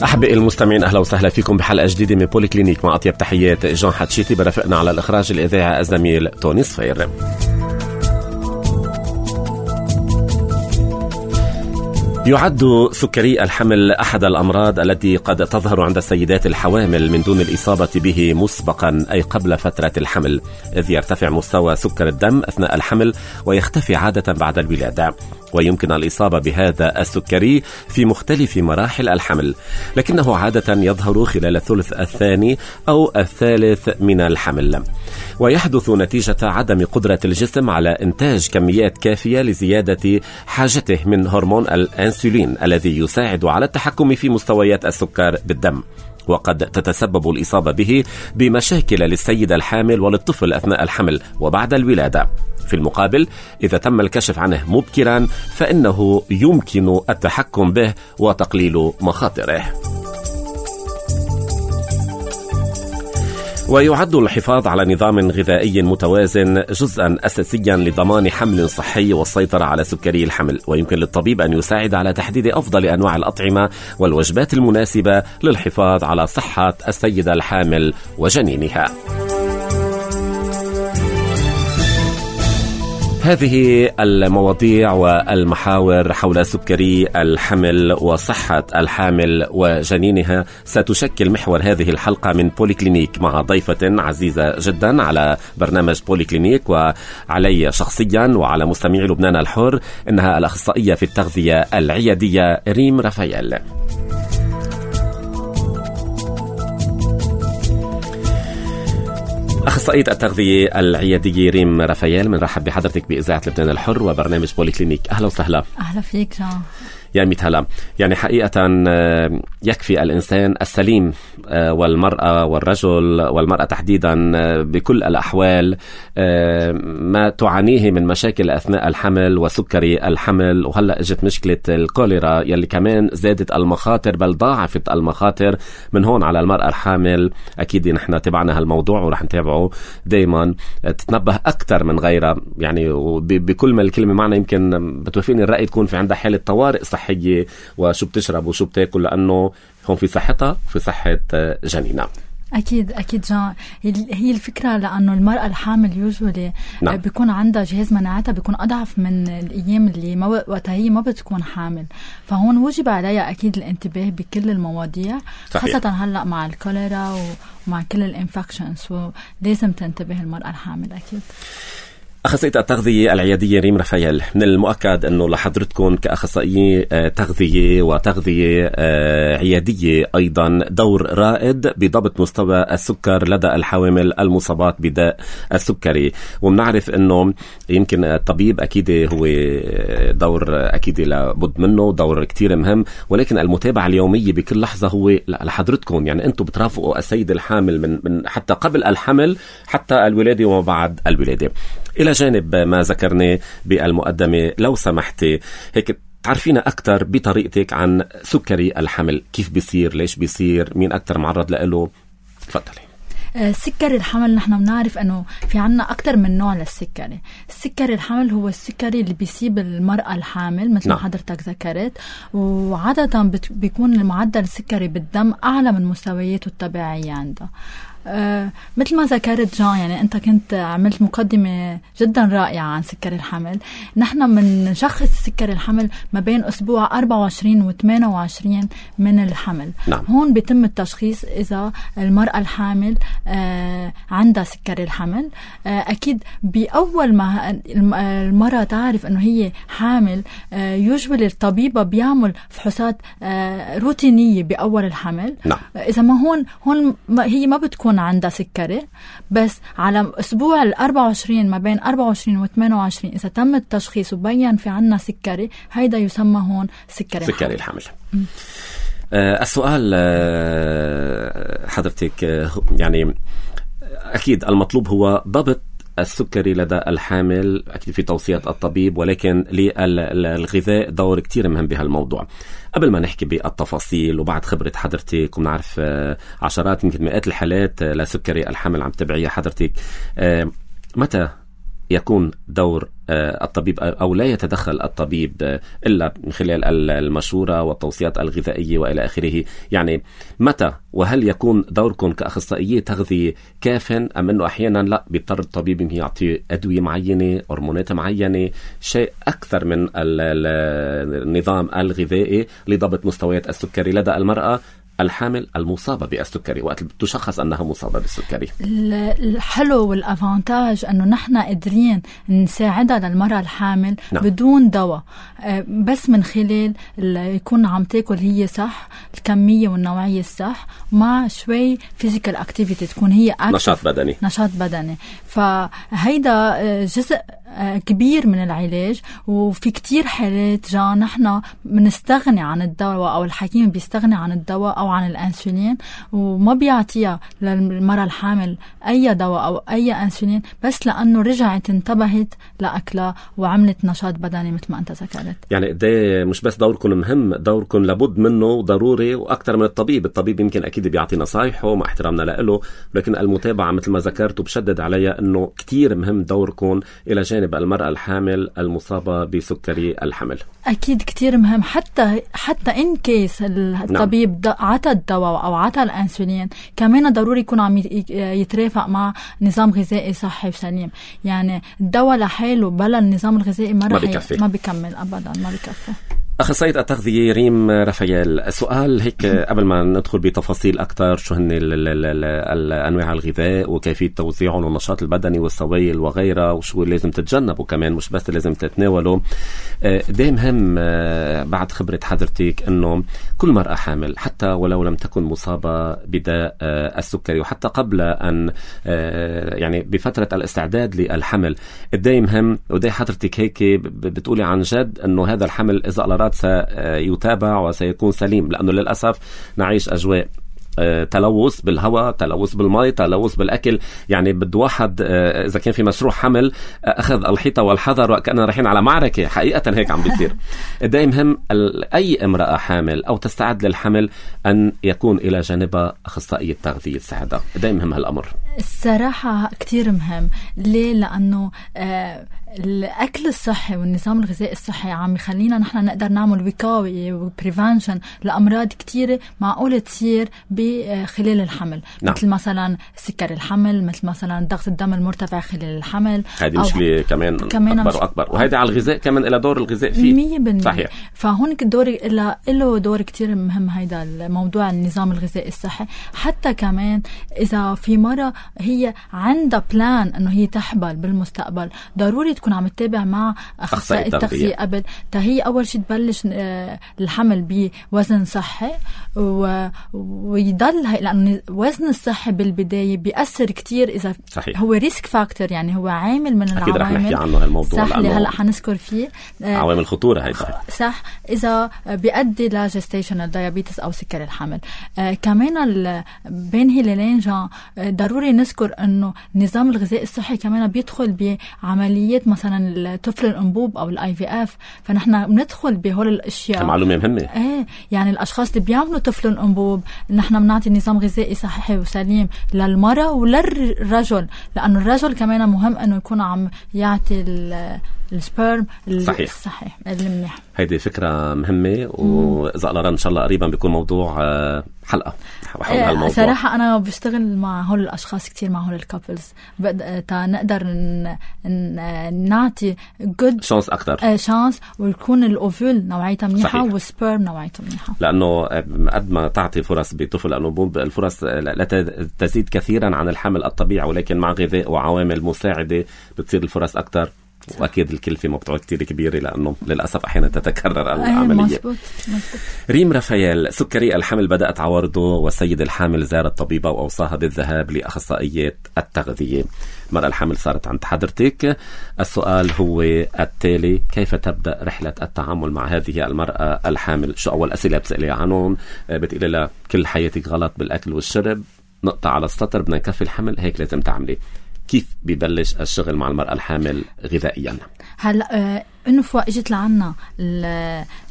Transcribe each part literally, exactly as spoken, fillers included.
أحبائي المستمعين، أهلا وسهلا فيكم بحلقة جديدة من بولي كلينيك. مع أطيب تحيات جان حتشيتي، برافقنا على الإخراج الإذاعي الزميل توني صفير. يعد سكري الحمل أحد الأمراض التي قد تظهر عند السيدات الحوامل من دون الإصابة به مسبقا، أي قبل فترة الحمل، إذ يرتفع مستوى سكر الدم أثناء الحمل ويختفي عادة بعد الولادة، ويمكن الإصابة بهذا السكري في مختلف مراحل الحمل، لكنه عادة يظهر خلال الثلث الثاني أو الثالث من الحمل، ويحدث نتيجة عدم قدرة الجسم على إنتاج كميات كافية لزيادة حاجته من هرمون الأنسولين الذي يساعد على التحكم في مستويات السكر بالدم. وقد تتسبب الإصابة به بمشاكل للسيدة الحامل وللطفل أثناء الحمل وبعد الولادة. في المقابل، إذا تم الكشف عنه مبكرا فإنه يمكن التحكم به وتقليل مخاطره. ويعد الحفاظ على نظام غذائي متوازن جزءا أساسيا لضمان حمل صحي والسيطرة على سكري الحمل، ويمكن للطبيب أن يساعد على تحديد أفضل أنواع الأطعمة والوجبات المناسبة للحفاظ على صحة السيدة الحامل وجنينها. هذه المواضيع والمحاور حول سكري الحمل وصحة الحامل وجنينها ستشكل محور هذه الحلقة من بولي كلينيك، مع ضيفة عزيزة جدا على برنامج بولي كلينيك وعلي شخصيا وعلى مستمعي لبنان الحر، إنها الأخصائية في التغذية العيادية ريم رفايل. أخصائية التغذية العيادية ريم رفايل، من رحب بحضرتك بإذاعة لبنان الحر وبرنامج بولي كلينيك. أهلا وسهلا. أهلا فيك جان. يا ميت هلا. يعني حقيقة يكفي الإنسان السليم والمرأة والرجل والمرأة تحديدا بكل الأحوال ما تعانيه من مشاكل أثناء الحمل وسكري الحمل، وهلأ اجت مشكلة الكوليرا يلي كمان زادت المخاطر بل ضاعفت المخاطر من هون على المرأة الحامل. أكيد نحن تبعنا هالموضوع ورح نتابعه دايما، تتنبه أكثر من غيرها، يعني بكل ما الكلمة معنا. يمكن بتوافقني الرأي تكون في عندها حالة طوارئ صحية وشو بتشرب وشو بتاكل، لأنه هون في صحتها وفي صحة جنينها. أكيد أكيد جان، هي الفكرة لأنه المرأة الحامل يوجولي نعم. بيكون عندها جهاز مناعتها بيكون أضعف من الأيام اللي ما وقتها هي ما بتكون حامل، فهون وجب عليها أكيد الانتباه بكل المواضيع صحيح. خاصة هلأ مع الكوليرا ومع كل الانفكشنز، ولازم تنتبه المرأة الحامل أكيد. أخصائية التغذية العيادية ريم رفايل، من المؤكد أنه لحضرتكم كأخصائية تغذية وتغذية عيادية أيضا دور رائد بضبط مستوى السكر لدى الحوامل المصابات بداء السكري. ومنعرف أنه يمكن الطبيب أكيد هو دور أكيد لابد منه، دور كتير مهم، ولكن المتابعة اليومية بكل لحظة هو لحضرتكم. يعني أنتم بترافقوا السيد الحامل من, من حتى قبل الحمل حتى الولادة وما بعد الولادة. إلى جانب ما ذكرناه بالمقدمة، لو سمحتي هيك تعرفينا أكتر بطريقتك عن سكري الحمل، كيف بيصير، ليش بيصير، مين أكتر معرض له؟ تفضلي. سكري الحمل نحن بنعرف أنه في عنا أكتر من نوع للسكري. السكري الحمل هو السكري اللي بيصيب المرأة الحامل مثل ما حضرتك ذكرت، وعادة بيكون المعدل السكري بالدم أعلى من مستوياته الطبيعية عندها. أه مثل ما ذكرت جان، يعني أنت كنت عملت مقدمة جدا رائعة عن سكري الحمل. نحن من شخص سكري الحمل ما بين أسبوع أربعة وعشرين و ثمانية وعشرين من الحمل. نعم. هون بيتم التشخيص إذا المرأة الحامل أه عندها سكري الحمل. أه أكيد بأول ما المرأة تعرف أنه هي حامل أه يجبل الطبيبة بيعمل فحوصات أه روتينية بأول الحمل. نعم. إذا ما هون هون هي ما بتكون عندها سكري، بس على أسبوع الأربعة وعشرين ما بين أربعة وعشرين و ثمانية وعشرين إذا تم التشخيص وبين في عنا سكري، هيدا يسمى هون سكري سكري الحمل. آه السؤال آه حضرتك آه يعني أكيد المطلوب هو ضبط السكري لدى الحامل، أكيد في توصيات الطبيب، ولكن للغذاء دور كتير مهم بهالموضوع. قبل ما نحكي بالتفاصيل وبعد خبرة حضرتك، ونعرف عشرات يمكن مئات الحالات لسكري الحمل عم تبعيها حضرتك، متى يكون دور الطبيب أو لا يتدخل الطبيب إلا من خلال المشورة والتوصيات الغذائية وإلى آخره؟ يعني متى وهل يكون دوركم كأخصائية تغذية كاف أم أنه أحيانا لا بيضطر الطبيب أن يعطي أدوية معينة، هرمونات معينة، شيء أكثر من النظام الغذائي لضبط مستويات السكري لدى المرأة الحامل المصابة بالسكري وقت تشخص أنها مصابة بالسكري؟ الحلو والأفانتاج أنه نحن قادرين نساعدها للمرأة الحامل نعم. بدون دواء، بس من خلال يكون عم تاكل هي صح، الكمية والنوعية الصح، مع شوي physical activity، تكون هي active، نشاط بدني نشاط بدني. فهيدا جزء كبير من العلاج. وفي كتير حالات جا نحن بنستغني عن الدواء أو الحكيم بيستغني عن الدواء أو عن الأنسولين وما بيعطيها للمرأة الحامل أي دواء أو أي أنسولين، بس لأنه رجعت انتبهت لأكلها وعملت نشاط بدني مثل ما أنت ذكرت. يعني ده مش بس دوركم مهم، دوركم لابد منه ضروري وأكثر من الطبيب. الطبيب يمكن أكيد بيعطي نصايحه مع احترامنا له، لكن المتابعة مثل ما ذكرت وبشدد عليها أنه كتير مهم دوركم إلى جانب المرأة الحامل المصابة بسكري الحمل. أكيد كتير مهم، حتى حتى إن كيس الطبيب نعم. عطى الدواء أو عطى الأنسولين، كمان ضروري يكون عم يترافق مع نظام غذائي صحي وسليم. يعني الدواء لحاله بلا النظام الغذائي ما رح ما بيكمل أبدا، ما بيكفي. أخصائية التغذية ريم رافائيل، سؤال هيك قبل ما ندخل بتفاصيل أكتر، شو هن الأنواع الغذاء وكيفية توزيعهم والنشاط البدني والسوائل وغيرها، وشو لازم تتجنبوا كمان مش بس لازم تتناولوا. ده مهم بعد خبرة حضرتك إنه كل مرأة حامل حتى ولو لم تكن مصابة بداء السكري وحتى قبل أن يعني بفترة الاستعداد للحمل، ده مهم. وده حضرتك هيك بتقولي عن جد إنه هذا الحمل إذا على سيتابع وسيكون سليم، لأنه للأسف نعيش أجواء تلوث بالهواء، تلوث بالماء، تلوث بالأكل. يعني بده واحد إذا كان في مشروع حمل أخذ الحيطة والحذر وكأننا رايحين على معركة، حقيقة هيك عم بيصير. دايم مهم أي امرأة حامل أو تستعد للحمل أن يكون إلى جانبها أخصائية تغذية تساعدها. دايم مهم هالأمر الصراحة كتير مهم. ليه؟ لأنه آه الأكل الصحي والنظام الغذائي الصحي عم يخلينا نحن نقدر نعمل وقاية وبريفانشن لأمراض كتيرة معقولة تصير بخلال الحمل. نعم. مثل مثلا سكر الحمل، مثل مثلا ضغط الدم المرتفع خلال الحمل. هذه مشكلة كمان, كمان أكبر وأكبر، وهذا على الغذاء كمان إلى دور الغذاء فيه مية بالمية. صحيح. فهون دور إله له دور كتير مهم هيدا الموضوع النظام الغذائي الصحي. حتى كمان إذا في مرة هي عندها بلان إنه هي تحبل بالمستقبل، ضروري تكون عم تتابع مع أخصائي التغذية قبل. تهي أول شيء تبلش الحمل بوزن صحي ويضل هي، لأنه وزن الصحي بالبداية بيأثر كتير. إذا صحيح. هو ريسك فاكتور، يعني هو عامل من العوامل. أكيد رح نحكي عنه هالموضوع صح، اللي هلأ حنذكر فيه عوامل الخطورة هيدا. صح. إذا بيؤدي لجستيشنال دايابيتس أو سكر الحمل. آه كمان بين هلالين جا ضروري نذكر إنه النظام الغذائي الصحي كمان بيدخل بعمليات مثلا الطفل الأنبوب أو الاي في اف. فنحن بندخل بهول الاشياء، معلومه مهمه. ايه يعني الاشخاص اللي بيعملوا طفل الأنبوب نحن بنعطي نظام غذائي صحي وسليم للمرأة وللرجل، لانه الرجل كمان مهم انه يكون عم يعطي السبرم الصحيح المنيح. هيدي فكره مهمه، واذا الله ان شاء الله قريبا بيكون موضوع حلقه حول هالموضوع. صراحه انا بشتغل مع هول الاشخاص كتير، مع هول الكابلز، تا نقدر ن... ن... نعطي جود شانس اكثر آه شانس، ويكون الاوفول نوعيتها منيحه والسبرم نوعيته منيحه، لانه قد ما تعطي فرص بطفل الانبوب الفرص لا تزيد كثيرا عن الحمل الطبيعي، ولكن مع غذاء وعوامل مساعده بتصير الفرص اكثر. واكيد الكلفه ما بتعود كتير كبيره، لانه للاسف احيانا تتكرر العمليه. مزبوط مزبوط. ريم رافائيل، سكري الحمل بدات عوارضه والسيده الحامل زارت الطبيبه واوصاها بالذهاب لاخصائيه التغذيه. المراه الحامل صارت عند حضرتك، السؤال هو التالي: كيف تبدا رحله التعامل مع هذه المراه الحامل؟ شو اول اسئله بتساليها عنهم؟ بتقولي لها كل حياتك غلط بالاكل والشرب، نقطه على السطر، بدنا نكفي الحمل، هيك لازم تعملي. كيف بيبلش الشغل مع المرأة الحامل غذائيا؟ هلا آه انه فوق اجت لعنا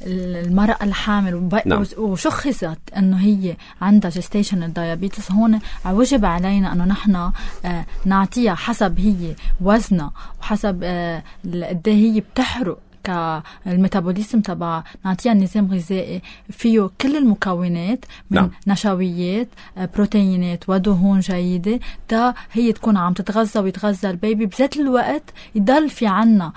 المرأة الحامل نعم. وشخصت انه هي عندها جستيشنال دايابيتس، هون وجب علينا انه نحن آه نعطيها حسب هي وزنها وحسب آه قد هي بتحرق كالميتابوليزم تبع، نعطيها نظام غذائي فيه كل المكونات من نعم. نشويات بروتينات ودهون جيدة، تا هي تكون عم تتغذى ويتغذى البيبي، بذات الوقت يضل في عنا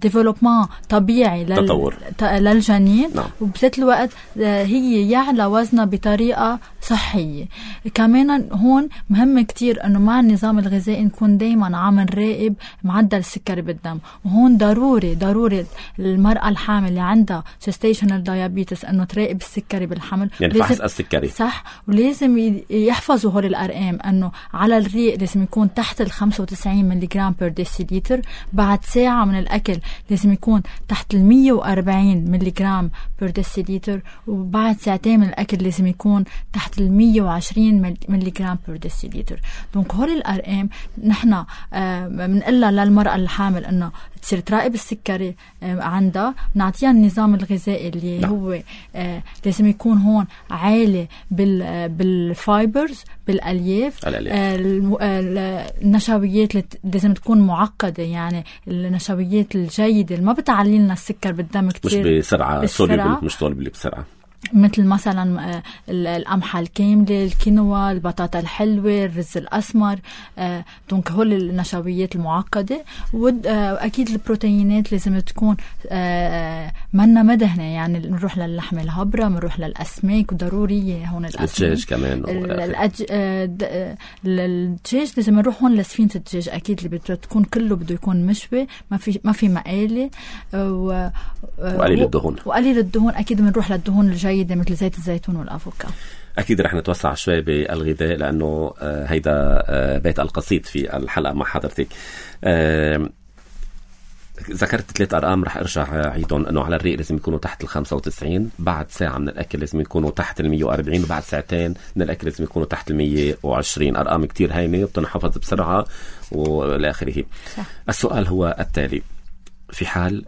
ديفلوبمون طبيعي لل... للجنين نعم. وبذات الوقت هي يعلى وزنها بطريقة صحية. كمان هون مهم كتير انه مع النظام الغذائي نكون دايما عم نراقب معدل السكري بالدم، وهون ضروري ضروري المرأة الحامل اللي عندها gestational diabetes انه تراقب السكري بالحمل، يعني فحص السكري صح، ولازم يحفظوا هول الارقام انه على الريق لازم يكون تحت ال خمسة وتسعين ملي جرام بير ديسيليتر، بعد ساعة من الاكل لازم يكون تحت ال مية وأربعين ملي جرام بير ديسيليتر، وبعد ساعتين من الاكل لازم يكون تحت ال مية وعشرين ملي جرام بير ديسيليتر. دونك هول الارقام نحن بنقلها آه للمرأة الحامل انه تصير تراقب السكري عندها، نعطيها النظام الغذائي اللي لا. هو آه لازم يكون هون عالي بال بالفايبرز بالالياف، آه النشويات لازم تكون معقده، يعني النشويات الجيده اللي ما بتعلي لنا السكر بالدم كتير، مش بسرعه سوليبل، مش سوليبل بسرعه، مثل مثلا القمحة الكاملة، الكينوا، البطاطا الحلوة، الرز الأسمر. دونك هول النشويات المعقدة، وأكيد البروتينات لازم تكون منا مدهنة، يعني نروح للحم الهبرة، نروح للأسماك، وضرورية هون الأسماك، الدجاج كمان، الدجاج لازم نروح هون لسفينة الدجاج أكيد اللي بتكون كله بده يكون مشوي، ما في ما في مقالي، وقليل الدهون وقليل الدهون أكيد بنروح للدهون الجيدة مثل زيت الزيتون والأفوكا. أكيد رح نتوسع شوي بالغذاء لأنه هيدا بيت القصيد في الحلقة مع حضرتك. ذكرت ثلاث أرقام رح أرجع عيدهم، أنه على الريق لازم يكونوا تحت ال خمسة وتسعين، بعد ساعة من الأكل لازم يكونوا تحت ال مية وأربعين، وبعد ساعتين من الأكل لازم يكونوا تحت ال مية وعشرين. أرقام كتير هينة وبتنحفظ بسرعة والى آخره. السؤال هو التالي: في حال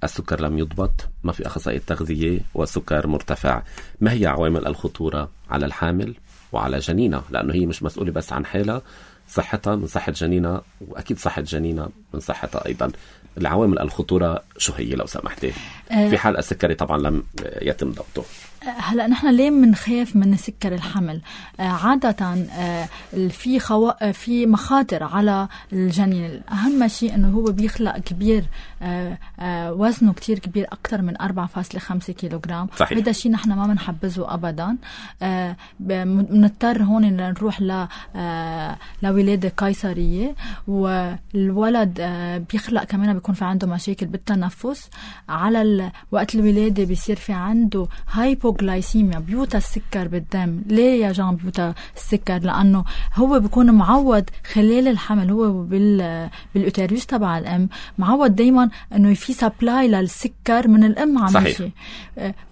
السكر لم يضبط، ما في أخصائي تغذية والسكر مرتفع، ما هي عوامل الخطورة على الحامل وعلى جنينها؟ لأنه هي مش مسؤولة بس عن حالها، صحتها من صحة جنينها، وأكيد صحة جنينها من صحتها أيضا. العوامل الخطورة شو هي لو سمحتي أه في حال السكري طبعا لم يتم ضبطه؟ هلا نحن ليه منخاف من سكر الحمل؟ آه عادة آه في خوا... في مخاطر على الجنين. أهم شيء إنه هو بيخلق كبير، آه آه وزنه كتير كبير، أكتر من أربعة فاصلة خمسة كيلوغرام. هذا الشيء نحن ما بنحبذه أبدا. آه بنضطر هون نروح ل آه لولادة قيصرية، والولد آه بيخلق كمان بيكون في عنده مشاكل بالتنفس. على ال... وقت الولادة بيصير في عنده هايبو جلايسيميا، بيوتا السكر بالدم. ليه يا جان بيوتا السكر؟ لأنه هو بيكون معود خلال الحمل، هو بال بالأوتيروس تبع الأم معود دايما إنه في سبلاي للسكر من الأم عم يمشي،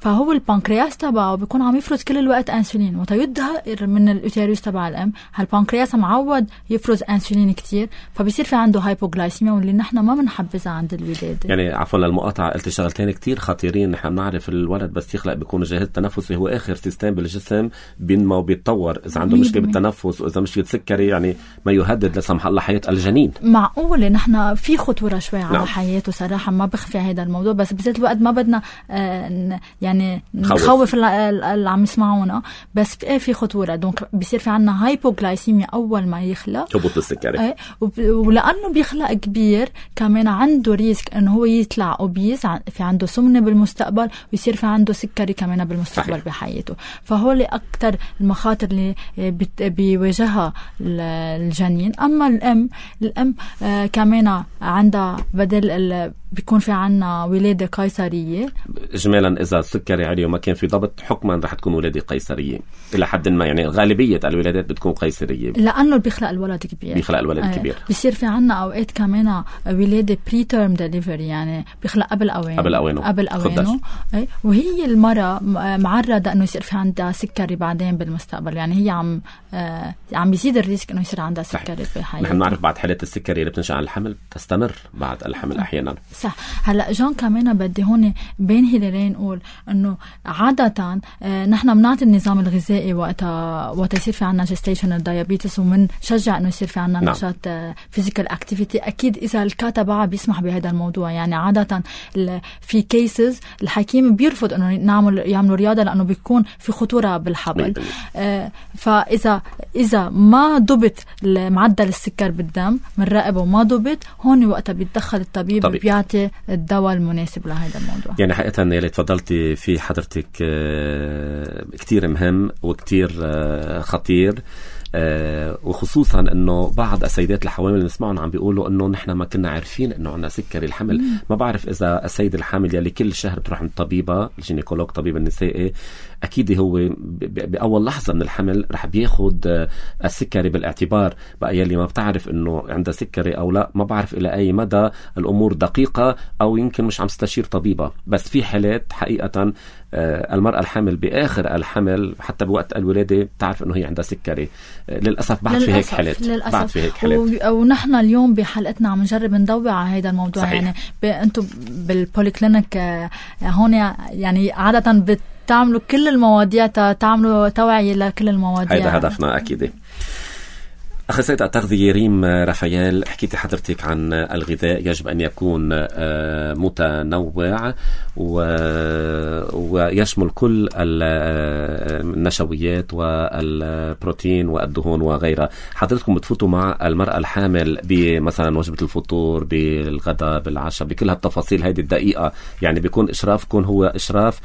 فهو البنكرياس تبعه بيكون عم يفرز كل الوقت أنسولين، وتيظهر من الأوتيروس تبع الأم هالبنكرياس معود يفرز أنسولين كتير، فبيصير في عنده هايبوغلايسيميا، واللي نحن ما بنحبذها عند الولادة. يعني عفوا للمقاطعة، قلت شغلتين كتير خطيرين. نحن بنعرف الولد بس يخلق بيكون جاهز التنفسي هو آخر سيستم بالجسم بينما وبيتطور. إذا عنده مشكلة بالتنفس وإذا مشكلة سكري، يعني ما يهدد لسمح الله حياة الجنين. معقولة نحن في خطورة شوي على نعم. حياته صراحة، ما بخفي هذا الموضوع، بس بذات الوقت ما بدنا آه يعني نخوف اللي عم يسمعونا، بس في, في خطورة. دونك بيصير في عنا هايبوغلايسيميا أول ما يخلق، هبوط السكري، آه ولأنه بيخلق كبير كمان عنده ريسك إنه هو يطلع أوبيز، في عنده سمنة بالمستقبل، ويصير في عنده سكري كمان بالمستقبل صحيح. بحياته. فهول أكتر المخاطر اللي بيواجهها الجنين. أما الأم الأم آه كمان عندها بدل بيكون في عنا ولادة قيصرية. إجمالا إذا السكري عالي وما كان في ضبط، حكما رح تكون ولادة قيصرية إلى حد ما، يعني غالبية الولادات بتكون قيصرية لأنه بيخلق الولد كبير، بيخلق الولد آه كبير. بيصير في عنا أوقات كمان ولادة بري تيرم ديليفري، يعني بيخلق قبل أوانه قبل أوانه قبل أوانه آه وهي المرة معرضة انه يصير في عندها سكري بعدين بالمستقبل. يعني هي عم عم بيزيد الريسك انه يصير عندها سكري في حياتها. نحن نعرف بعض حالات السكري اللي بتنشأ عن الحمل تستمر بعد الحمل احيانا. صح. هلا جون كمان بدي هون بين هلالين نقول انه عادة نحن بنعطي النظام الغذائي وقتها وقت يصير في عنا جستيشنال دايابيتس ومنشجع انه يصير في عنا نعم. نشاط فيزيكال اكتيفيتي. اكيد اذا الكاتب بيسمح بهذا الموضوع. يعني عادة في كيسز الحكيم بيرفض انه نعمل يعملوا رياضة لانه بيكون في خطورة بالحبل. آه فاذا اذا ما ضبط معدل السكر بالدم بنراقبه وما ضبط هون وقتها بيتدخل الطبيب طبيب. بيعطي الدواء المناسب لهذا الموضوع. يعني حقيقة يلي تفضلتي في حضرتك كتير مهم وكتير خطير. آه وخصوصا انه بعض السيدات الحوامل اللي نسمعهم عم بيقولوا انه نحن ما كنا عارفين انه عندنا سكري الحمل. مم. ما بعرف اذا السيد الحامل يلي كل شهر بتروح عند طبيبه الجينيكولوج طبيب النسائي اكيد هو باول لحظه من الحمل رح بياخد السكري بالاعتبار. بقى يلي ما بتعرف انه عندها سكري او لا ما بعرف الى اي مدى الامور دقيقه او يمكن مش عم تستشير طبيبه. بس في حالات حقيقه المرأة الحامل بآخر الحمل حتى بوقت الولادة بتعرف إنه هي عندها سكري. للأسف بعد في هيك حالات. للأسف. بعد في هيك حالات. ونحن اليوم بحلقتنا عم نجرب ندوع على هذا الموضوع. صحيح. يعني أنتم بالبوليكلينيك هون يعني عادة بتعملوا كل المواضيع تعملوا توعية لكل المواضيع. هذا هدفنا أكيد. أخصائية التغذية ريم رافائيل، حكيتي حضرتك عن الغذاء يجب أن يكون متنوع ويشمل كل النشويات والبروتين والدهون وغيرها. حضرتكم بتفوتوا مع المرأة الحامل بمثلا وجبة الفطور بالغداء بالعشاء بكل هالتفاصيل هذه الدقيقة. يعني بيكون إشرافكم هو إشراف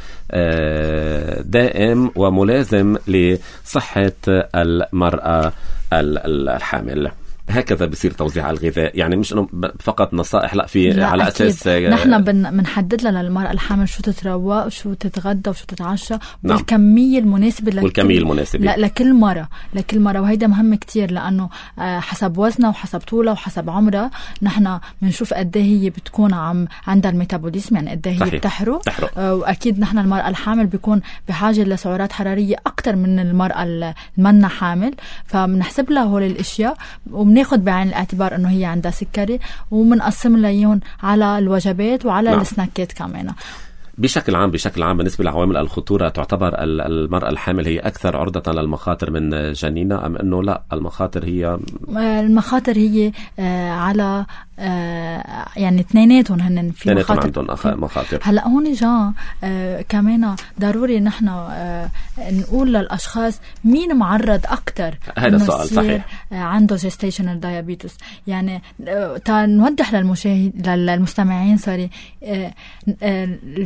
دائم وملازم لصحة المرأة الحامل. هكذا بصير توزيع الغذاء. يعني مش انه فقط نصائح لا في لا على أكيد. اساس نحن بنحدد لها للمرأة الحامل شو تتروق وشو تتغدى وشو تتعشى بالكمية نعم. المناسبة لكل والكمية المناسبة لا لكل مرة لكل مرة. وهيدا مهم كتير لأنه حسب وزنها وحسب طولها وحسب عمرها نحن بنشوف قد ايه هي بتكون عم عندها الميتابوليزم يعني قد ايه هي بتحرق. واكيد نحن المرأة الحامل بيكون بحاجة لسعرات حرارية أكتر من المرأة المنا حامل. فبنحسب لها هول الاشياء وبناخد بعين الاعتبار انه هي عندها سكري وبنقسم لهم على الوجبات وعلى نعم. السناكات كمان. بشكل عام بشكل عام بالنسبة لعوامل الخطورة تعتبر المرأة الحامل هي أكثر عرضة للمخاطر من جنينها أم أنه لا المخاطر هي المخاطر هي على يعني اثنيناتهم هن في مخاطر عندهم مخاطر. هلا هون جا كمان ضروري نحن نقول للأشخاص مين معرض أكثر هذا السؤال صحيح عنده جستيشنال دايابيتس. يعني نوضح للمشاهد للمستمعين سوري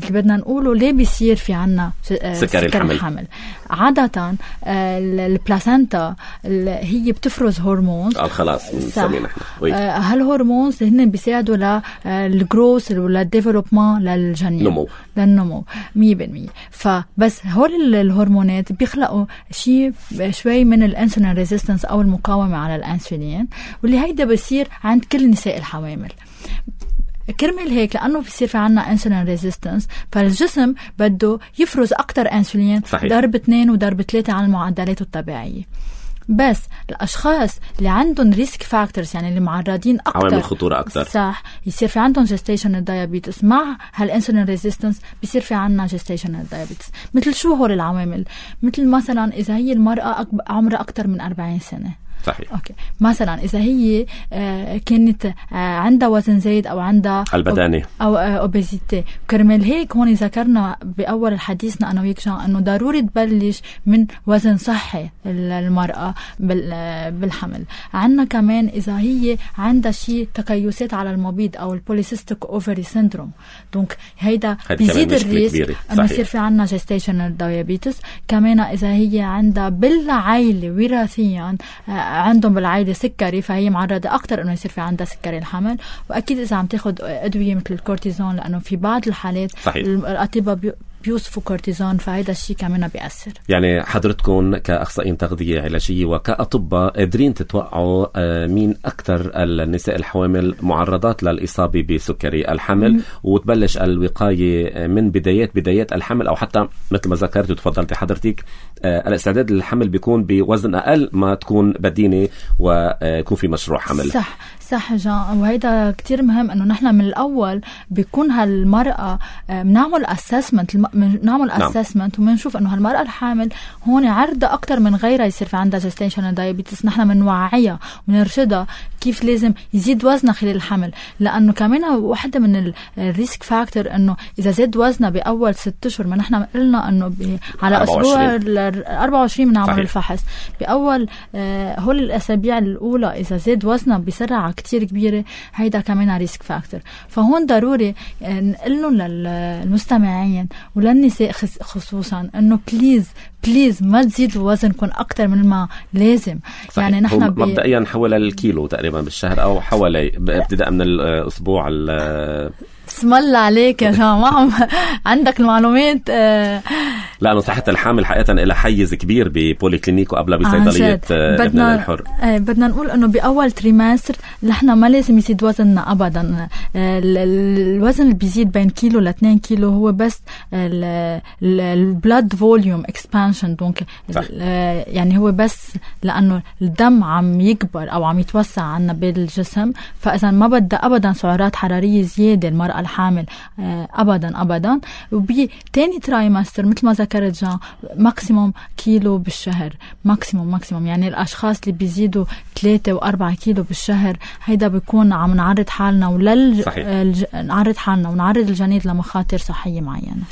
بدنا نقوله ليه بيصير في عنا سكري الحمل. الحمل عادة البلاسنتا هي بتفرز هرمونز خلاص نسميه نحن هالهرمونز هن بيساعدوا للجروس وللديفلوبمنت للجنين نمو للنمو مية بالمية. فبس هول الهرمونات بيخلقوا شيء شوي من الانسولين ريزيستنس او المقاومة على الانسولين واللي هيدا بيصير عند كل نساء الحوامل. كرمال هيك لأنه بيصير في عنا انسولين ريزيستنس فالجسم بده يفرز أكتر انسولين ضرب اثنين وضرب ثلاثة على المعدلات الطبيعية. بس الأشخاص اللي عندهم ريسك فاكتورز يعني اللي معرضين أكتر عوامل الخطورة أكتر صح يصير في عندهم جستيشنال دايابيتس مع هالانسولين ريزيستنس بيصير في عنا جستيشنال دايابيتس. مثل شو هول العوامل؟ مثل مثلا إذا هي المرأة عمرها أكتر من أربعين سنة صحيح. أوكي. مثلا إذا هي آه كانت آه عندها وزن زايد أو عندها البدانة أو آه أوبيزيتي. كرمال هيك هون ذكرنا بأول حديثنا أنا وياك جان إنه ضروري تبلش من وزن صحي المرأة بالحمل. عنا كمان إذا هي عندها شيء تكيسات على المبيض أو البوليسيستيك أوفري سيندروم دونك هيدا بيزيد الريسك إنه يصير في عنا جستيشنال دايابيتس. كمان إذا هي عندها بالعائلة وراثيا آه عندهم بالعائلة سكري فهي معرضة أكتر إنه يصير في عندها سكري الحمل. وأكيد إذا عم تاخد أدوية مثل الكورتيزون لأنه في بعض الحالات صحيح. الأطباء بيوصفوا كورتيزون، فهذا الشيء كمان بيأثر. يعني حضرتكم كأخصائيين تغذية علاجية وكأطباء قادرين تتوقعوا مين أكثر النساء الحوامل معرضات للإصابة بسكري الحمل م- وتبلش الوقاية من بدايات بدايات الحمل، أو حتى مثل ما ذكرت وتفضلتي حضرتك الاستعداد للحمل بيكون بوزن أقل ما تكون بدينة ويكون في مشروع حمل. صح صح جان، وهيدا كتير مهم انه نحن من الاول بيكون هالمرأة بنعمل اسسمنت بنعمل اسسمنت وبنشوف انه هالمرأة الحامل هون عرضة اكتر من غيرها يصير في عندها جستيشنال دايابيتس. نحن بنوعيها ونرشدها كيف لازم يزيد وزنها خلال الحمل، لانه كمان واحدة من الريسك فاكتور انه اذا زاد وزنها باول ست اشهر، ما نحن قلنا انه على اسبوع أربعة وعشرين بنعمل الفحص باول آه هول الاسابيع الاولى، اذا زاد وزنها بسرعة كتير كبيرة، هيدا كمان ريسك فاكتور. فهون ضروري نقلن للمستمعين وللنساء خصوصا انه بليز بليز ما تزيدوا وزنكم اكتر من ما لازم. صحيح. يعني نحن بي... مبدئيا حول الكيلو تقريبا بالشهر او حوالي ابتداء من الاسبوع ال اسم الله عليك يا جماعة عندك المعلومات. آه لأنه صحة الحامل حقيقة إلى حيز كبير ببولي كلينيك وقبل بصيدلية ابن الحر. آه بدنا نقول أنه بأول تريمستر نحن ما لازم يزيد وزننا أبدا. آه الوزن اللي بيزيد بين كيلو لاثنين كيلو هو بس البلاد فوليوم اكسبانشن، دونك آه يعني هو بس لأنه الدم عم يكبر أو عم يتوسع عنا بالجسم، فإذا ما بدأ أبدا سعرات حرارية زيادة المرأة الحامل أبدا أبدا. وبتاني ترايمستر مثل ما ذكرت جان ماكسيموم كيلو بالشهر، ماكسيموم ماكسيموم يعني الأشخاص اللي بيزيدوا ثلاثة وأربعة كيلو بالشهر هيدا بيكون عم نعرض حالنا ولل الج... نعرض حالنا ونعرض الجنين لمخاطر صحية معينة.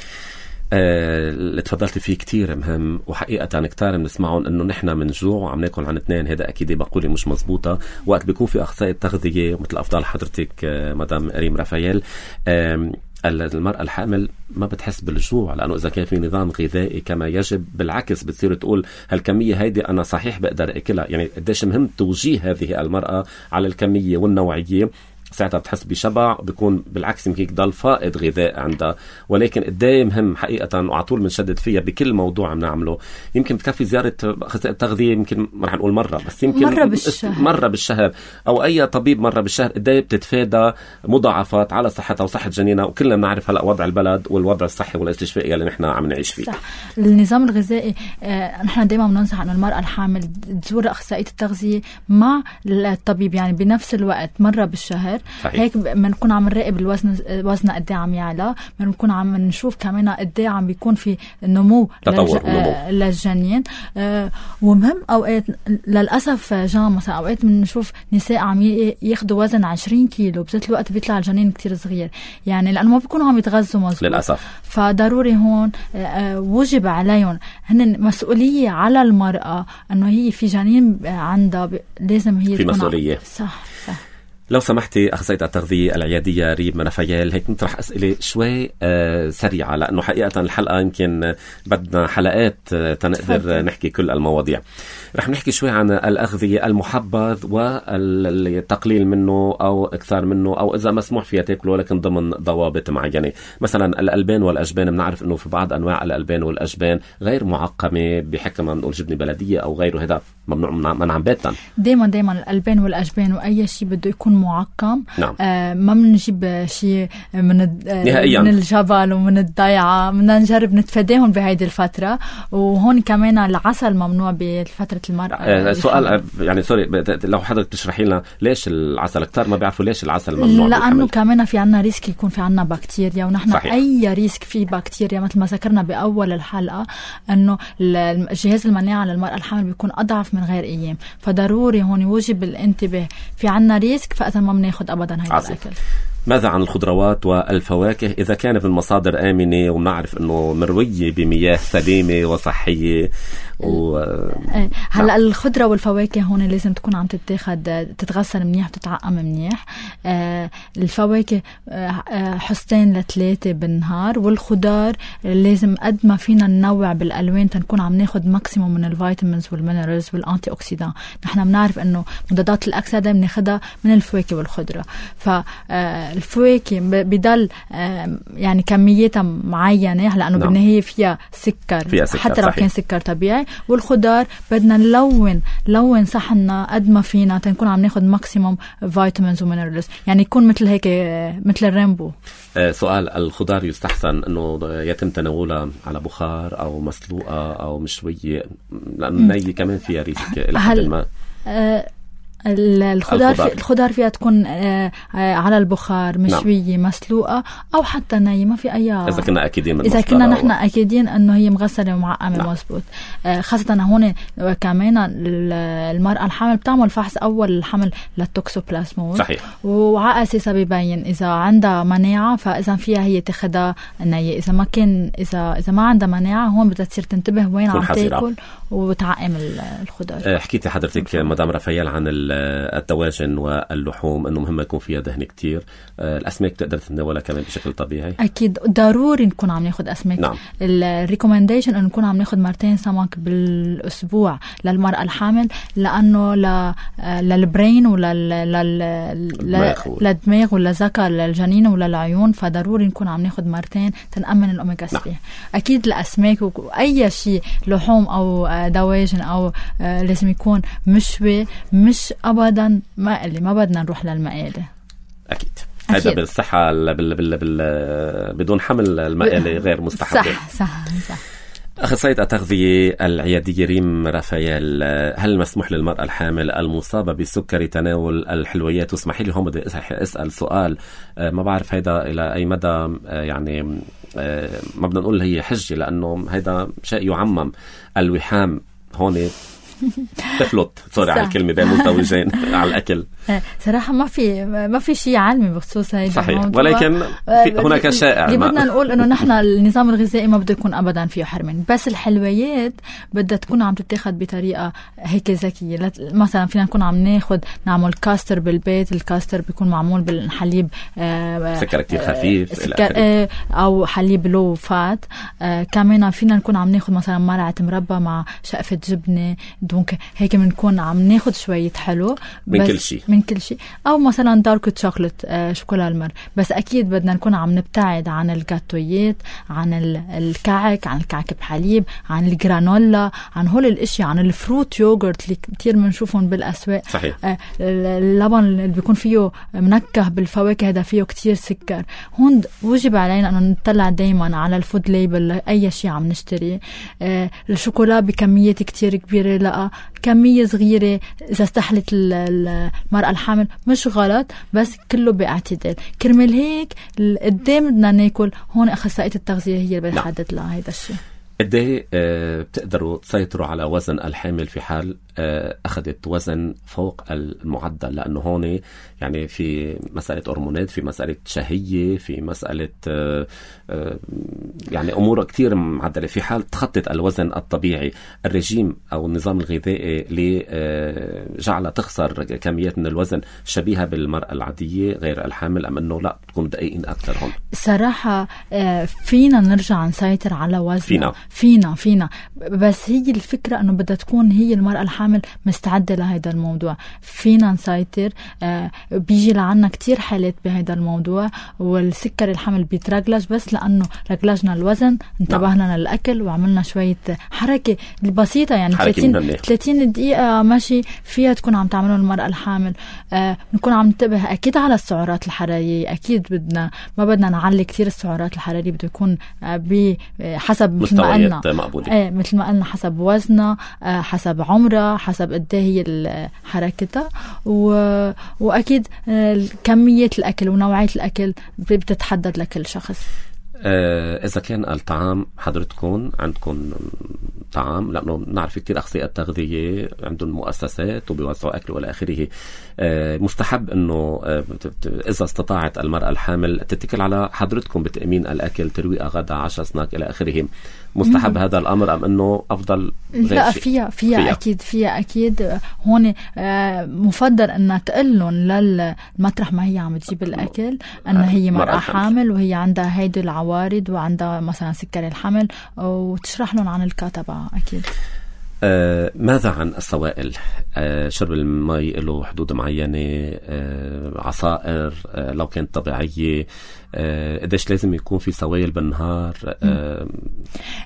اللي آه، تفضلت فيه كتير مهم، وحقيقة كتير بنسمعهم انه نحن من جوع وعم ناكل عن اثنين. هذا اكيد بقولي مش مزبوطة. وقت بيكون في اخصائي تغذية مثل افضل حضرتك آه، مدام ريم رافائيل، آه، المرأة الحامل ما بتحس بالجوع، لأنه إذا كان في نظام غذائي كما يجب بالعكس بتصير تقول هالكمية هيدي أنا صحيح بقدر أكلها. يعني قديش مهم توجيه هذه المرأة على الكمية والنوعية، ساعتها بتحس بشبع، بيكون بالعكس يمكن ضل فائض غذاء عندها. ولكن قدام مهم حقيقة وعطول بنشدد فيها بكل موضوع عم نعمله. يمكن بتكفي زيارة أخصائي التغذية، يمكن ما رح نقول مرة، بس يمكن مرة بالشهر مرة بالشهر أو أي طبيب مرة بالشهر. قدام بتتفادى مضاعفات على صحتها وصحة جنينها. وكلنا بنعرف هلا وضع البلد والوضع الصحي والاستشفائي اللي نحن عم نعيش فيه. صح. النظام الغذائي آه، نحن دائما بننصح أن المرأة الحامل تزور أخصائية التغذية مع الطبيب، يعني بنفس الوقت مرة بالشهر. صحيح. هيك بنكون عم نراقب الوزن وزن قد ايه عم يعلى، بنكون عم نشوف كمان قد ايه عم بيكون في نمو للج... آه للجنين. آه ومهم اوقات للاسف جان مثلا اوقات بنشوف نساء عم ياخذوا وزن عشرين كيلو بذات الوقت بيطلع الجنين كتير صغير، يعني لانه ما بيكونوا عم يتغذوا مظبوط للاسف. فضروري هون آه وجب عليهم هن مسؤوليه على المراه انه هي في جنين عندها لازم هي في مسؤوليه. صح صح. لو سمحتي أخصائية التغذية العيادية ريم رافائيل، هيك نطرح أسئلة شوي آه سريعة، لأنه حقيقة الحلقة يمكن بدنا حلقات آه تنقدر نحكي كل المواضيع. رح نحكي شوي عن الأغذية، المحبذ والتقليل منه أو إكثار منه، أو إذا مسموح فيها تاكله لكن ضمن ضوابط معينة. مثلا الألبان والأجبان، بنعرف أنه في بعض أنواع الألبان والأجبان غير معقمة بحكم ما نقول جبنة بلدية أو غيره، هذا ممنوع منعا باتا. دايما دايما الألبان والأجبان وأي شيء بده يكون معقم. نعم. آه ما بنجيب شيء من نهائياً. من الجبل ومن الضيعة، بدنا نجرب نتفاداهم بهيدي الفترة. وهون كمان العسل ممنوع بفترة المرأة. آه سؤال يعني سوري، لو حضرتك تشرحي لنا ليش العسل؟ كتار ما بيعرفوا ليش العسل ممنوع. لأنه كمان في عنا ريسك يكون في عنا بكتيريا، ونحن صحيح. أي ريسك فيه بكتيريا مثل ما ذكرنا بأول الحلقة أنه الجهاز المناعة للمرأة الحامل بيكون أضعف من غير أيام، فضروري هون يوجب الانتباه. في عنا ريسك فإذا ما بناخد أبدا هيدا الأكل. ماذا عن الخضروات والفواكه إذا كانت من مصادر آمنة ونعرف أنه مروية بمياه سليمة وصحية و... هلأ الخضرة والفواكه هون لازم تكون عم تتاخد تتغسل منيح وتتعقم منيح. آه الفواكه آه حصتين لثلاثة بالنهار، والخضار لازم قد ما فينا ننوع بالألوان تنكون عم ناخد ماكسيموم من الفيتامينز والمينرالز والأنتي أوكسيدان. نحن بنعرف أنه مضادات الأكسدة بناخدها من الفواكه والخضرة. ف آه الفواكه بضل يعني كمياتها معينة لأنه نعم. بالنهاية فيها سكر, فيها سكر حتى لو صحيح. كان سكر طبيعي. والخضار بدنا نلون لون صحنا قد ما فينا تنكون عم ناخد ماكسيموم فيتامينز ومينرالز, يعني يكون مثل هيك مثل الريمبو. آه سؤال, الخضار يستحسن انه يتم تناولها على بخار او مسلوقة او مشوية, لأنه ني كمان فيها ريسك إلى حد ما. آه الخضار, الخضار. في الخضار فيها تكون آه آه على البخار مشوية نعم. مسلوقة أو حتى نية, ما في أي. إذا كنا أكيدين من إذا كنا نحن و... أكيدين إنه هي مغسلة ومعقمة نعم. مزبوط. آه خاصة هون كمان المرأة الحامل بتعمل فحص أول الحمل للتوكسوبلازموز صحيح, وعلى أساسها بيبين إذا عندها مناعة فإذا فيها هي تاخدها نية, إذا ما كان إذا إذا ما عندها مناعة هون بدها تصير تنتبه وين عم تاكل وتعقم الخضار. آه حكيتي حضرتك مدام رافائيل عن الدواجن واللحوم انه مهم يكون فيها دهن كتير. الاسماك بتقدر تتناولها كمان بشكل طبيعي؟ اكيد ضروري نكون عم ناخد اسماك. نعم. الريكومنديشن انه نكون عم ناخد مرتين سمك بالاسبوع للمرأة الحامل, لانه ل للبرين ولا للدماغ ولا ذكر للجنين ولا العيون, فضروري نكون عم ناخد مرتين تنأمن الاوميجا ثلاثة. نعم. اكيد الاسماك واي شيء لحوم او دواجن او لازم يكون مشوي, مش ابدا مقلي, ما بدنا نروح للمقالي. اكيد هذا بالصحه بال... بال... بال... بدون حمل المقالي غير مستحب. صح صح صح. أخصائية التغذية العيادية ريم رافائيل, هل مسموح للمرأة الحامل المصابة بالسكري تناول الحلويات؟ واسمحي لي هم بدي أسأل سؤال ما بعرف هيدا إلى أي مدى يعني ما بدنا نقول هي حجة, لأنه هيدا شيء يعمم الوحام هون تفلت سوري على الكلمة بين مزدوجين على الأكل. صراحة ما في ما في شيء علمي بخصوص هيدا صحيح, ولكن في هناك شائع. اللي بدنا نقول إنه نحن النظام الغذائي ما بده يكون أبدا فيه حرمان, بس الحلويات بدها تكون عم تتاخد بطريقة هيك ذكية. مثلا فينا نكون عم ناخد نعمل كاستر بالبيت, الكاستر بيكون معمول بالحليب سكر كتير خفيف سكر أو حليب لو فات. كمان فينا نكون عم ناخد مثلا مرعة مربى مع شقفة جبنة, دونك هيك بنكون عم ناخد شوية حلو من كل شيء من كل شيء, أو مثلا دارك شوكولات آه شوكولا المر. بس أكيد بدنا نكون عم نبتعد عن الجاتويات, عن الكعك, عن الكعك بحليب, عن الجرانولا, عن هول الاشياء, عن الفروت يوغورت اللي كتير بنشوفهم بالأسواق. صحيح. آه اللبن اللي بيكون فيه منكه بالفواكه هذا فيه كتير سكر. هون وجب علينا أنه نطلع دايما على الفود ليبل أي شيء عم نشتري. آه الشوكولا بكميات كتير كبيرة, لا كمية صغيرة إذا استحلت المرأة الحامل مش غلط, بس كله باعتدال. كرمال هيك قدام بدنا ناكل, هون أخصائية التغذية هي اللي بتحدد لها هيدا الشيء. قديه بتقدروا تسيطروا على وزن الحامل في حال أخذت وزن فوق المعدل؟ لأنه هون يعني في مسألة هرمونات, في مسألة شهية, في مسألة يعني أمور كتير معدلة. في حال تخطت الوزن الطبيعي, الرجيم أو النظام الغذائي اللي جعل تخسر كميات من الوزن شبيهة بالمرأة العادية غير الحامل, أم أنه لا تكون دقيقين أكثر هون؟ صراحة فينا نرجع نسيطر على وزن فينا فينا فينا بس هي الفكرة أنه بدها تكون هي المرأة الحامل مستعدة لهذا الموضوع. فينا نسيطر. آه بيجي لعنا كتير حالات بهذا الموضوع, والسكر الحمل بيترجلج بس لأنه رجلجنا الوزن, انتبهنا للأكل وعملنا شوية حركة بسيطة, يعني ثلاثين دقيقة ماشي فيها تكون عم تعمله المرأة الحامل. آه نكون عم ننتبه أكيد على السعرات الحرارية. أكيد بدنا ما بدنا نعلي كتير السعرات الحرارية, بده يكون آه بحسب مثل ما قلنا ايه مثل ما قلنا حسب وزنها, آه حسب عمرها, حسب قد ايه هي حركتها, و... واكيد آه كميه الاكل ونوعيه الاكل بتتحدد لكل شخص. آه إذا كان الطعام حضرتكم عندكم طعام, لأنه نعرف كتير أخصائيات التغذية عندهم مؤسسات وبيوزعوا أكل وإلى آخره, آه مستحب إنه آه إذا استطاعت المرأة الحامل تتكل على حضرتكم بتأمين الأكل, ترويقة, غدا, عشاء, سناك إلى آخره. مستحب هذا الأمر أم أنه أفضل غير لا شيء؟ فيها, فيها فيها أكيد فيها أكيد. هون آه مفضل أن تقلن للمطرح ما هي عم تجيب الأكل أن هي مرأة حامل وهي عندها هيدي العوارض وعندها مثلا سكر الحمل, وتشرح لهم عن الكاتبة. أكيد. آه ماذا عن السوائل؟ آه شرب المي له حدود معينة، آه عصائر آه لو كانت طبيعية، آه قديش لازم يكون في سوائل بالنهار؟ آه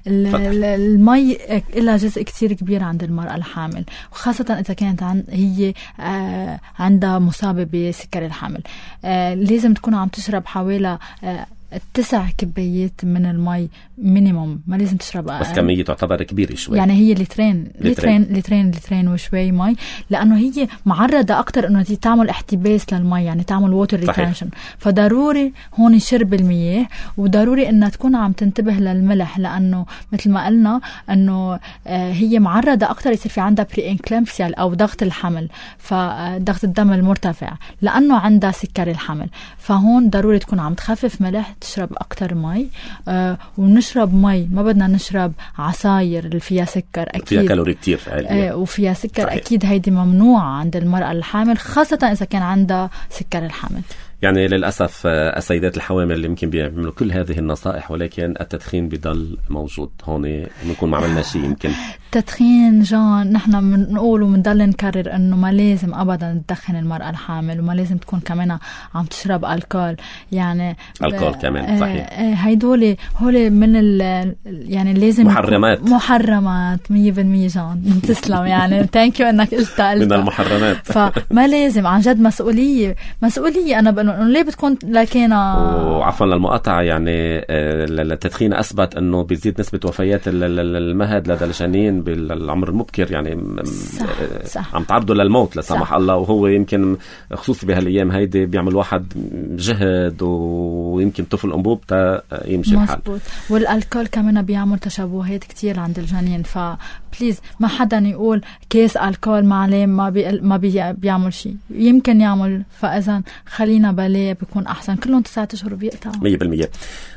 المي لها جزء كتير كبير عند المرأة الحامل، وخاصة إذا كانت عن هي آه عندها مصابة بسكر الحمل. آه لازم تكون عم تشرب حوالي آه تسع كبايات من المي مينيموم، ما لازم تشرب بس كمية تعتبر كبيرة شوي، يعني هي لترين لترين لترين لترين وشوي مي، لأنه هي معرضة أكتر إنه تعمل احتباس للمي، يعني تعمل ووتر ريتنشن. فضروري هون شرب المياه، وضروري إنها تكون عم تنتبه للملح، لأنه مثل ما قلنا إنه آه هي معرضة أكتر يصير في عندها بري انكلامسيا أو ضغط الحمل، فضغط الدم المرتفع لأنه عندها سكر الحمل. فهون ضروري تكون عم تخفف ملح، تشرب أكتر مي، آه ونشرب مي، ما بدنا نشرب عصاير اللي فيها سكر أكيد، فيها كالوري كتير آه وفيها سكر. صحيح. أكيد هيدي ممنوعة عند المرأة الحامل، خاصة إذا كان عندها سكر الحمل. يعني للأسف السيدات الحوامل اللي يمكن بيعملوا كل هذه النصائح، ولكن التدخين بيضل موجود. هون بنكون ما عملنا شيء. يمكن التدخين جان نحن بنقول وبنضل نكرر انه ما لازم ابدا تدخن المرأة الحامل، وما لازم تكون كمان عم تشرب الكول، يعني الكول كمان. صحيح. هيدول هول من ال يعني لازم محرمات محرمات مية بالمية. جان تسلم يعني ثانك يو انك قلت من المحرمات. فما لازم، عن جد مسؤولية مسؤولية. انا بقول ليه بتكون لكينا وعفوا للمقاطعة، يعني التدخين أثبت أنه بيزيد نسبة وفيات المهد لدى الجنين بالعمر المبكر، يعني صح. صح. عم تعرضوا للموت لا سمح الله. وهو يمكن خصوصي بهالأيام هيدي بيعمل واحد جهد ويمكن طفل أنبوب تا يمشي الحال. مزبوط. والألكول كمان بيعمل تشابهات كتير عند الجنين، فبليز ما حدا يقول كيس ألكول معليه ما بي ما بي بيعمل شيء، يمكن يعمل. فإذا خلينا بالي بيكون أحسن. كلهم تسعة أشهر بيقطعوا مية بالمية.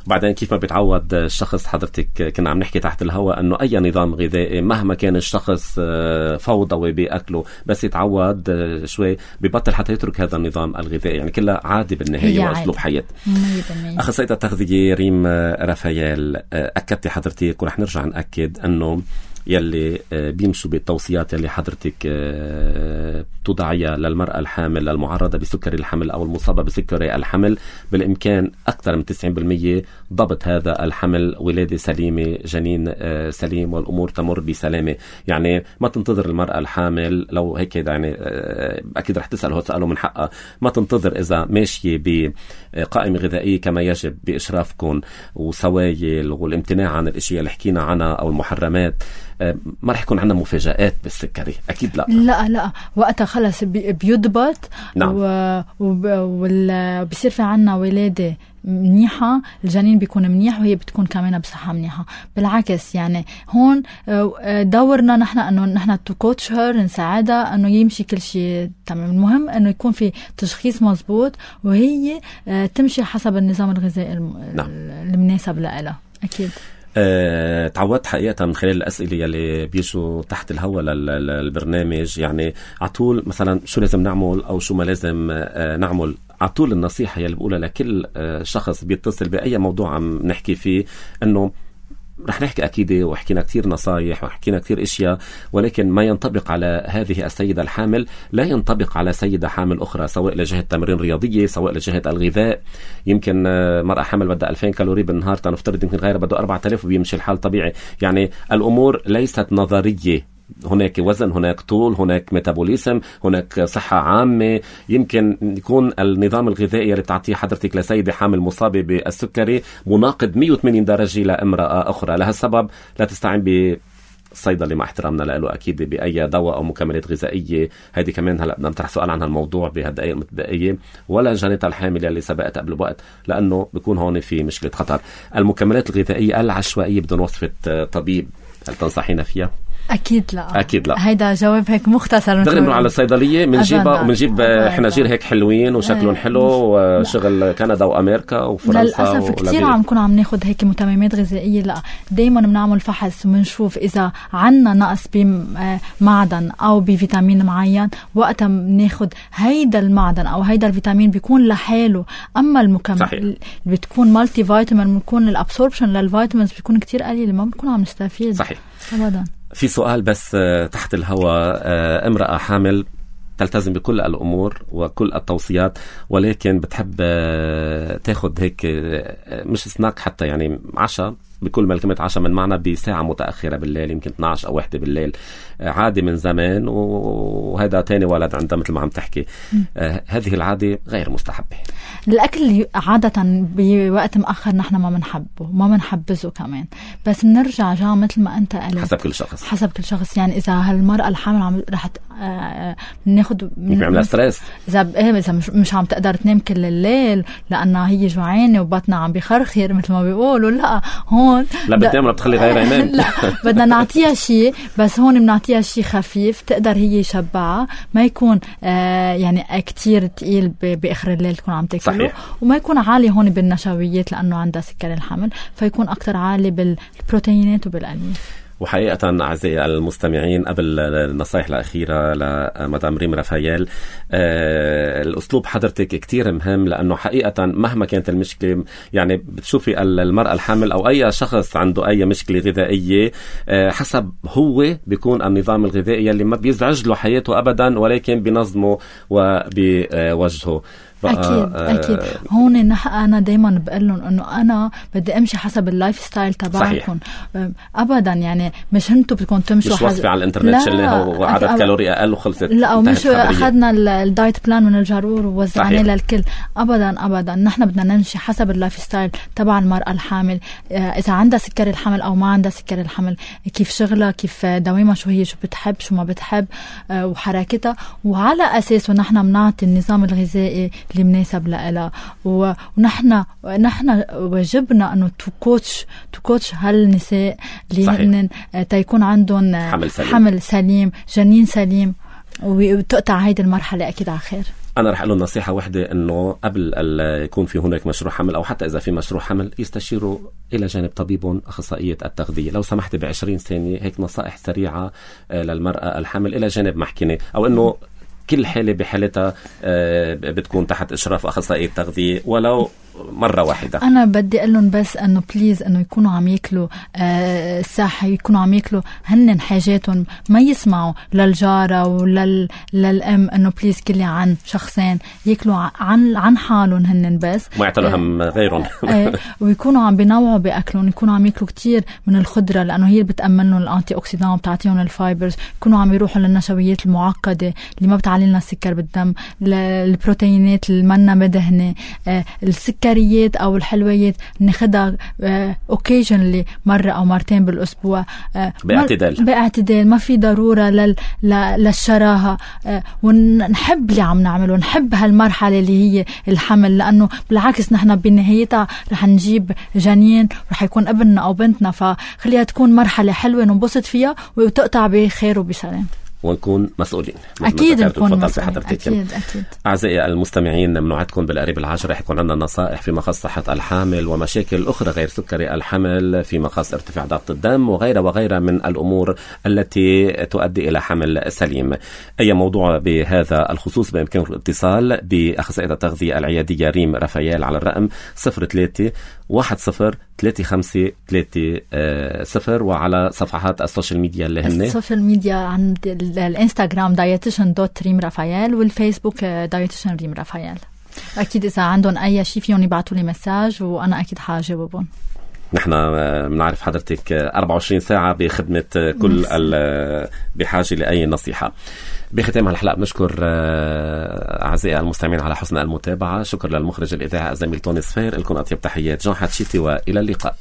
وبعدين كيف ما بيتعود الشخص، حضرتك كنا عم نحكي تحت الهواء أنه أي نظام غذائي مهما كان الشخص فوضوي بأكله، بس يتعود شوي بيبطل حتى يترك هذا النظام الغذائي. يعني كلها عادي بالنهاية وأسلوب حياة. أخصائية التغذية ريم رافائيل، أكدتي حضرتك ورح نرجع نأكد أنه يلي بيمشوا بالتوصيات يلي حضرتك تضعيها للمرأة الحامل المعرضة بسكري الحمل أو المصابة بسكري الحمل، بالإمكان أكثر من تسعين بالمية ضبط هذا الحمل، ولادة سليمة، جنين سليم، والأمور تمر بسلامة. يعني ما تنتظر المرأة الحامل لو هيك، يعني أكيد رح تسأل هو سأله من حقها، ما تنتظر إذا ماشية بقائمة غذائية كما يجب بإشرافكم وسوايل والامتناع عن الاشياء اللي حكينا عنها أو المحرمات، ما رح يكون عندنا مفاجآت بالسكري. أكيد لا لا لا وقتها خلص بيضبط. نعم. وبصير في عنا ولادة منيحة، الجنين بيكون منيح وهي بتكون كمان بصحة منيحة. بالعكس يعني هون دورنا نحن أنه نحن تكوتش هير، نساعدها أنه يمشي كل شيء تمام. المهم أنه يكون في تشخيص مزبوط وهي تمشي حسب النظام الغذائي المناسب لها. أكيد. أه، تعودت حقيقة من خلال الأسئلة اللي بيجوا تحت الهواء للبرنامج، يعني عطول مثلا شو لازم نعمل أو شو ما لازم أه نعمل. عطول النصيحة يلي بقولها لكل أه شخص بيتصل بأي موضوع عم نحكي فيه، أنه رح نحكي أكيد وحكينا كتير نصايح وحكينا كتير إشياء، ولكن ما ينطبق على هذه السيدة الحامل لا ينطبق على سيدة حامل أخرى، سواء لجهة تمرين رياضية، سواء لجهة الغذاء. يمكن مرأة حامل بدها ألفين كالوري بالنهار، تنفترض يمكن غيرها بده أربعة آلاف وبيمشي الحال طبيعي. يعني الأمور ليست نظرية، هناك وزن، هناك طول، هناك ميتابوليزم، هناك صحة عامة. يمكن يكون النظام الغذائي اللي بتعطيه حضرتك لسيدة حامل مصابة بالسكري مناقض مية وثمانين درجة لامرأة أخرى. لهالسبب لا تستعين بالصيدلي مع احترامنا له أكيد بأي دواء أو مكملات غذائية. هذه كمان هلأ بدنا نطرح سؤال عن هالموضوع بهالدقائق المتبقية، ولا جانتها الحامل اللي سبقت قبل وقت، لأنه بيكون هون في مشكلة خطر. المكملات الغذائية العشوائية بدون وصفة طبيب، هل تنصحينا فيها؟ أكيد لا. أكيد لا. هيدا جواب هيك مختصر. دغري بنروح على الصيدلية منجيبها ومنجيب حناجير هيك حلوين وشكلهم حلو وشغل كندا وأمريكا وفرنسا. للأسف كتير عم نكون عم ناخد هيك متممات غذائية. لا، دايما بنعمل فحص ومنشوف إذا عنا نقص بمعدن أو بفيتامين معين، وقتها بناخد هيدا المعدن أو هيدا الفيتامين بيكون لحاله. أما المكمل اللي بتكون مالتي فيتامين، بيكون الابسوربشن للفيتامينز بيكون كتير قليل، ما بنكون عم نستفيد. صحيح. أبدا. في سؤال بس تحت الهواء. امرأة حامل تلتزم بكل الأمور وكل التوصيات، ولكن بتحب تاخد هيك مش سناك حتى، يعني عشاء، بكل ما كلمة عشاء من معنى بساعة متأخرة بالليل، يمكن اثني عشر أو واحدة بالليل، عادي من زمان، وهذا تاني ولد عندها مثل ما عم تحكي. آه هذه العادة غير مستحبة. الأكل عادة بوقت مأخر نحن ما منحبه، ما منحبزه كمان، بس نرجع جا مثل ما أنت قلت، حسب كل شخص حسب كل شخص. يعني إذا هالمرأة الحامل عم رح آه ناخد بيعملها ستريس، إذا إذا مش, مش عم تقدر تنام كل الليل لأنها هي جوعانة وبطنها عم بيخرخر مثل ما بيقولوا، لا هون لا بتنام ولا بتخلي غيرها ينام. لا بدنا نعطيها شيء، بس هون بنعطيها شيء خفيف تقدر هي يشبعها، ما يكون آه يعني كتير تقيل بآخر الليل تكون عم تاكله، وما يكون عالي هون بالنشويات لأنه عندها سكر الحمل، فيكون أكتر عالي بالبروتينات وبالألياف. وحقيقة أعزائي المستمعين، قبل النصائح الأخيرة لمدام ريم رافائيل، آه الأسلوب حضرتك كتير مهم، لأنه حقيقة مهما كانت المشكلة، يعني بتشوفي المرأة الحامل أو أي شخص عنده أي مشكلة غذائية، آه حسب هو بيكون النظام الغذائي اللي ما بيزعج له حياته أبدا، ولكن بنظمه وبوجهه. أكيد أكيد. هون نح أنا دايما بقول لهم إنه أنا بدي أمشي حسب اللايف ستايل تبعكم أبدا، يعني مش هنتو بدكم تمشوا مش وصفي على الإنترنت شلناها وعدد أك... كالوري أقل وخلصت. لا، أو مش أخذنا الدايت بلان من الجارور ووزعناه للكل، أبدا أبدا. نحن بدنا نمشي حسب اللايف ستايل تبع المرأة الحامل، إذا عندها سكر الحمل أو ما عندها سكر الحمل، كيف شغلها، كيف دوامها، شو هي، شو بتحب، شو ما بتحب، وحركتها، وعلى أساسه نحن بنعطي النظام الغذائي اللي مناسب لها. ونحن نحن واجبنا انه تو كوتش تو كوتش هالنساء اللي هن تيكون عندهم حمل سليم. حمل سليم، جنين سليم، وتقطع هيدي المرحله اكيد على خير. أنا رح أقول نصيحة واحدة، إنه قبل يكون في هناك مشروع حمل، أو حتى إذا في مشروع حمل، يستشيروا إلى جانب طبيب أخصائية التغذية. لو سمحت بعشرين ثانية هيك نصائح سريعة للمرأة الحامل، إلى جانب محكينة، أو إنه كل حالة بحالتها بتكون تحت إشراف أخصائي التغذية ولو مرة واحدة. أنا بدي أقول لهم بس أنه بليز أنه يكونوا عم يأكلوا آه صحي، يكونوا عم يأكلوا هن حاجاتهم، ما يسمعوا للجارة ولل للأم أنه بليز كلي عن شخصين، يأكلوا عن عن حالهم هن بس، ما يعتلوا هم غيرهم. آه ويكونوا عم بينوعوا بأكلهم، يكونوا عم يأكلوا كتير من الخضرة لأنه هي بتأمن لهم الأنتي أوكسيدان وبتعطيهم الفايبرز، يكونوا عم يروحوا للنشويات المعقدة اللي ما بتعلي لنا السكر بالدم، البروتينات اللي منا مدهنة، آه السكر أو الحلويات ناخدها اوكيجنلي مرة أو مرتين بالأسبوع باعتدال باعتدال ما في ضرورة لل... للشراهة، ونحب اللي عم نعمله، ونحب هالمرحلة اللي هي الحمل، لأنه بالعكس نحن بنهايتها رح نجيب جنين رح يكون ابننا أو بنتنا، فخليها تكون مرحلة حلوة ننبسط فيها وتقطع بخير وبسلام، ونكون مسؤولين. أكيد نكون مسؤولين. أكيد أكيد. أعزائي المستمعين، منوعدكم بالقريب العاجل رح يكون عندنا نصائح في مخص صحة الحامل ومشاكل أخرى غير سكري الحمل، في مخص ارتفاع ضغط الدم وغيرها وغيرها من الأمور التي تؤدي إلى حمل سليم. أي موضوع بهذا الخصوص بإمكانكم الاتصال بأخصائية التغذية العيادية ريم رافائيل على الرقم صفر ثلاثة واحد صفر ثلاثة خمسة ثلاثة صفر، وعلى صفحات السوشيال ميديا اللي هن السوشيال ميديا عند الانستغرام دايتيشن دوت ريم رافائيل، والفيسبوك دايتيشن ريم رافائيل. أكيد إذا عندهم أي شيء فيهم يبعتوا لي مساج وأنا أكيد حاجاوبهم. نحن بنعرف حضرتك أربعة وعشرين ساعة بخدمة كل بحاجة لأي نصيحة. بختام هالحلقة بنشكر أعزائي المستمعين على حسن المتابعة. شكر للمخرج الإذاعي الزميل توني صفير. لكم أطيب تحيات جون حتشيتي، وإلى اللقاء.